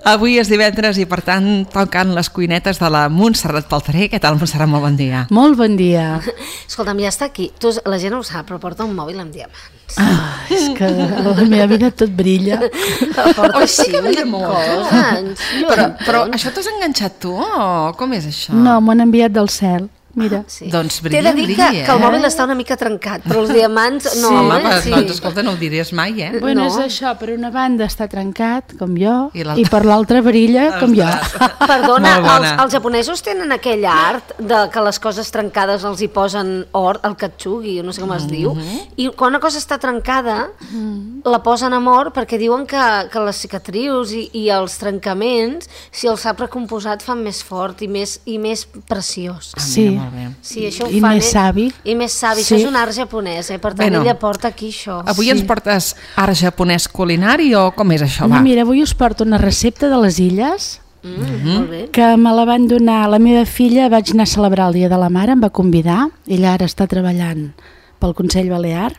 Avui és divendres i per tant toquen les cuinetes de la Montserrat Palferé. Què tal, Montserrat? Molt bon dia. Molt bon dia. Escolta'm, ja està aquí. La gent no ho sap, però porta un mòbil amb diamants. És que la meva vida tot brilla. Porta així coses. Però això t'has enganxat tu o com és això? No, m'ho han enviat del cel. Mira. Sí. Doncs T'he de dir que el mòbil està una mica trencat, però els diamants no. Home, doncs escolta, no ho diries mai, Bueno, és això, per una banda està trencat, com jo, i per l'altra brilla, com jo. Perdona, els japonesos tenen aquell art de que les coses trencades els hi posen or, el katsugi, no sé com es diu, i quan una cosa està trencada la posen amb or perquè diuen que les cicatrius i els trencaments, si el sap recomposat, fan més fort i més preciós. Sí. Sí, això ho I fan, més savi. I més savi, sí. Això és un art japonès, per tant ella porta aquí això. Avui ens portes art japonès culinari o com és això? No, mira, avui us porto una recepta de les illes Molt bé. que me la van donar la meva filla. Vaig anar a celebrar el Dia de la Mare, em va convidar, ella ara està treballant pel Consell Balear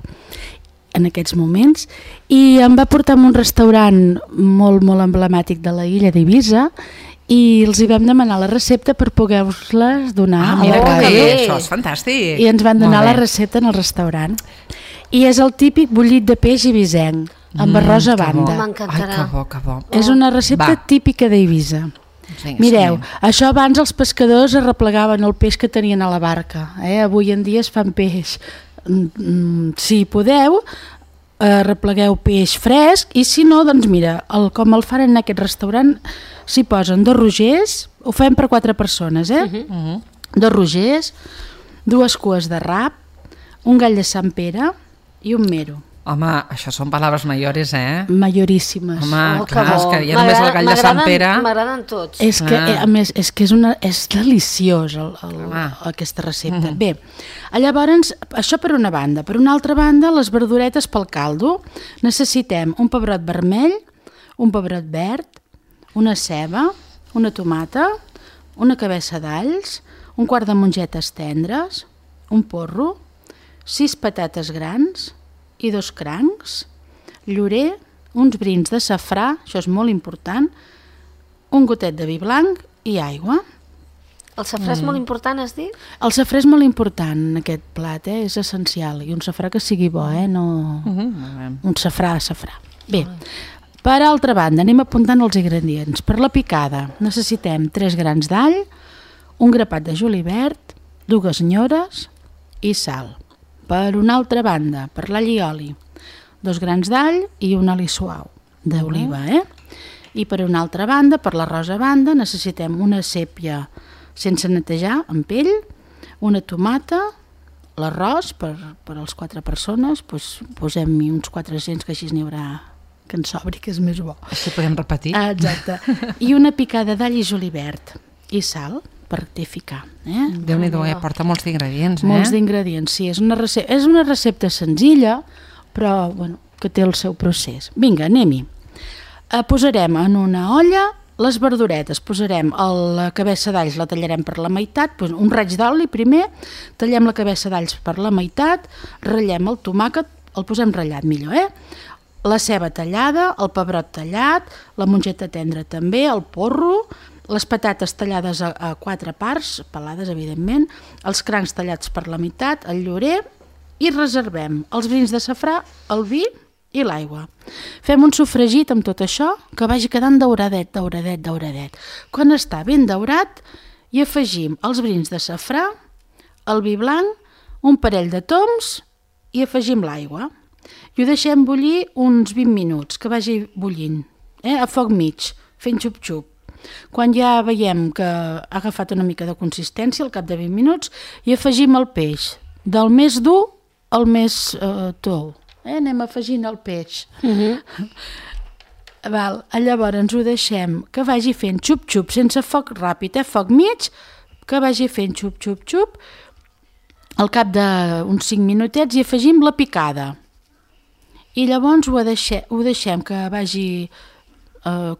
en aquests moments, i em va portar a un restaurant molt, molt emblemàtic de la illa d'Eivissa, i els hi vam demanar la recepta per poder-vos-les donar a la ràdio. Això és fantàstic. I ens van donar la recepta en el restaurant. I és el típic bullit de peix eivissenc, amb arròs a banda. M'encantarà. Ai, que bo. És una recepta típica d'Eivissa. Mireu, això abans els pescadors arreplegaven el peix que tenien a la barca. Avui en dia es fan peix. Si podeu, arreplegueu peix fresc, i si no, doncs mira, com el fan en aquest restaurant, s'hi posen 2 rogers, ho fem per 4 persones, 2 rogers, 2 cues de rap, un gall de Sant Pere i un mero. Home, això són paraules mayores, Majoríssimes. Home, clar, és que ja només el gall de Sant Pere... M'agraden tots. És que, a més, és deliciós aquesta recepta. Bé, llavors, això per una banda. Per una altra banda, les verduretes pel caldo. Necessitem un pebrot vermell, un pebrot verd, una ceba, una tomata, una cabeça d'alls, un quart de mongetes tendres, un porro, 6 patates grans i 2 crancs, llorer, uns brins de safrà, això és molt important, un gotet de vi blanc i aigua. El safrà és molt important, has dit? El safrà és molt important en aquest plat, és essencial, i un safrà que sigui bo, no un safrà. Bé, per altra banda, anem apuntant els ingredients. Per la picada necessitem 3 grans d'all, un grapat de julivert, 2 nyores i sal. Per una altra banda, per l'all i oli, 2 grans d'all i un oli suau d'oliva. I per una altra banda, per l'arròs a banda, necessitem una sèpia sense netejar, amb pell, una tomata, l'arròs per les 4 persones, posem-hi uns 400, que així n'hi haurà que en sobri, que és més bo. Així podem repetir. Exacte. I una picada d'all i julivert i sal per rectificar. Déu-n'hi-do, porta molts d'ingredients. Molts d'ingredients, sí. És una recepta senzilla, però que té el seu procés. Vinga, anem-hi. Posarem en una olla les verduretes. Posarem la cabeça d'alls, la tallarem per la meitat, un raig d'oli primer, tallem la cabeça d'alls per la meitat, ratllem el tomàquet, el posem ratllat millor, la ceba tallada, el pebrot tallat, la mongeta tendra també, el porro, les patates tallades a 4 parts, pelades evidentment, els crancs tallats per la meitat, el llorer, i reservem els brins de safrà, el vi i l'aigua. Fem un sofregit amb tot això que vagi quedant dauradet. Quan està ben daurat, hi afegim els brins de safrà, el vi blanc, un parell de toms i afegim l'aigua. I ho deixem bullir uns 20 minuts, que vagi bullint, a foc mig, fent xup-xup. Quan ja veiem que ha agafat una mica de consistència, al cap de 20 minuts, hi afegim el peix, del més dur al més tou. Anem afegint el peix. Llavors ho deixem que vagi fent xup-xup, sense foc ràpid, foc mig, que vagi fent xup-xup-xup. Al cap d'uns 5 minutets hi afegim la picada. I llavors ho deixem que vagi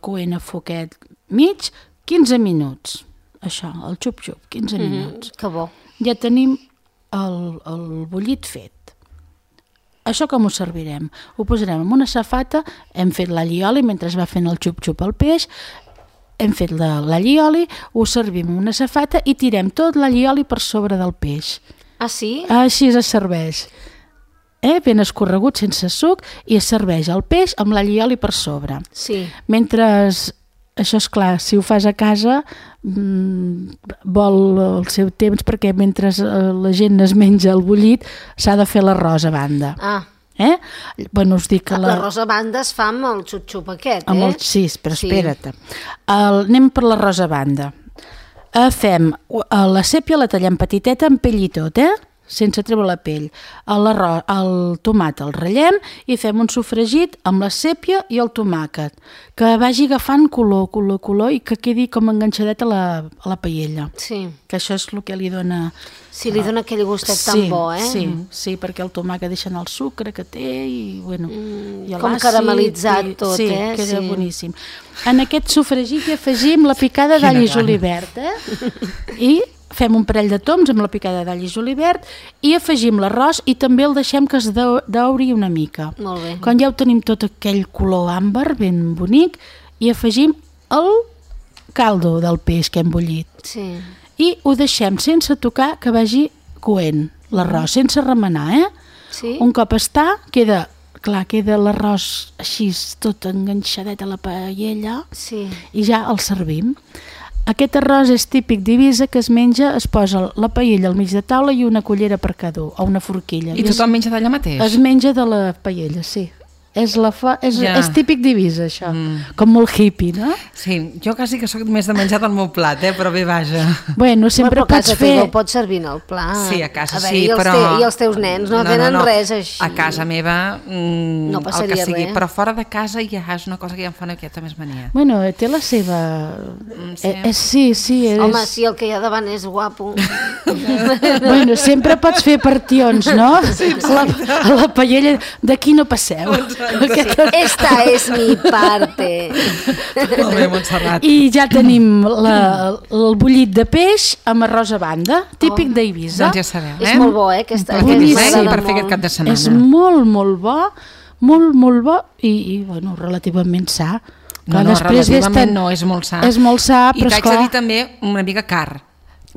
coent a foquet mig 15 minuts. Això, el xup-xup, 15 minuts. Que bo. Ja tenim el bullit fet. Això com ho servirem? Ho posarem en una safata, hem fet l'all i oli mentre va fent el xup-xup al peix, hem fet l'allioli, ho servim en una safata i tirem tot l'allioli per sobre del peix. Ah, sí? Així es serveix. Ben escorregut, sense suc, i es serveix el peix amb l'allioli per sobre. Sí. Mentre, això és clar, si ho fas a casa, vol el seu temps, perquè mentre la gent es menja el bullit, s'ha de fer l'arròs a banda. Bueno, us dic que l'arròs a banda es fa amb el xup-xup aquest, Sí, però espera't. Anem per l'arròs a banda. Fem la sèpia, la tallem petiteta amb pell i tot, sense treure la pell. El tomàquet el ratllem i fem un sofregit amb la sèpia i el tomàquet, que vagi agafant color i que quedi com enganxadet a la paella. Sí. Que això és el que li dona... Sí, li dona aquell gustet tan bo, Sí, perquè el tomàquet deixa anar el sucre que té i, bueno, i com caramelitzat tot, Sí, queda boníssim. En aquest sofregit hi afegim la picada d'all i julivert, i fem un parell de toms amb la picada d'all i julivert i afegim l'arròs i també el deixem que es dauri una mica. Molt bé. Quan ja ho tenim tot aquell color àmbar ben bonic, i afegim el caldo del peix que hem bullit. Sí. I ho deixem sense tocar, que vagi coent l'arròs, sense remenar, Sí. Un cop està, queda l'arròs així tot enganxadet a la paella, Sí. i ja el servim. Aquest arròs és típic d'Eivissa, que es menja, es posa la paella al mig de taula i una cullera per cada un, o una forquilla. I tothom menja d'allà mateix? Es menja de la paella, sí. És típic d'Eivissa, això. Com molt hippie, no? Sí, jo quasi que sóc més de menjar del meu plat, però bé, vaja. Bueno, sempre pots fer... Ho pots servir en el plat. Sí, a casa sí, però... I els teus nens no tenen res així. A casa meva, no passaria el que sigui, res. Però fora de casa ja és una cosa que ja em fa una miqueta més mania. Bueno, té la seva... Sí. Home, sí, el que hi ha davant és guapo. Bueno, sempre pots fer partions, no? A la paella, d'aquí no passeu. Esta és mi parte. Molt bé, Montserrat. I ja tenim el bullit de peix amb arròs a banda, típic d'Eivissa. Doncs ja sabeu, És molt bo, aquesta per fer aquest cap de setmana. És molt bo, molt bo i bueno, relativament sa. No, relativament no, és molt sa. És molt sa, però esclar... I t'haig de dir també una mica car.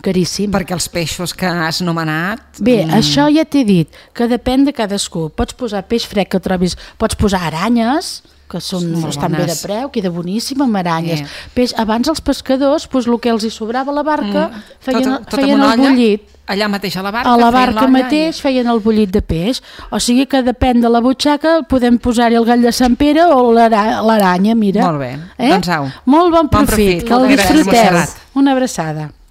Caríssim. Perquè els peixos que has nomenat... Bé, això ja t'he dit, que depèn de cadascú. Pots posar peix fred que trobis, pots posar aranyes, que estan bé de preu, queda boníssim amb aranyes. Peix, abans els pescadors, el que els hi sobrava a la barca, feien el bullit. Allà mateix a la barca? A la barca mateix feien el bullit de peix. O sigui que depèn de la butxaca, podem posar-hi el gall de Sant Pere o l'aranya, mira. Molt bé, doncs au. Molt bon profit, que el disfruteu. Una abraçada.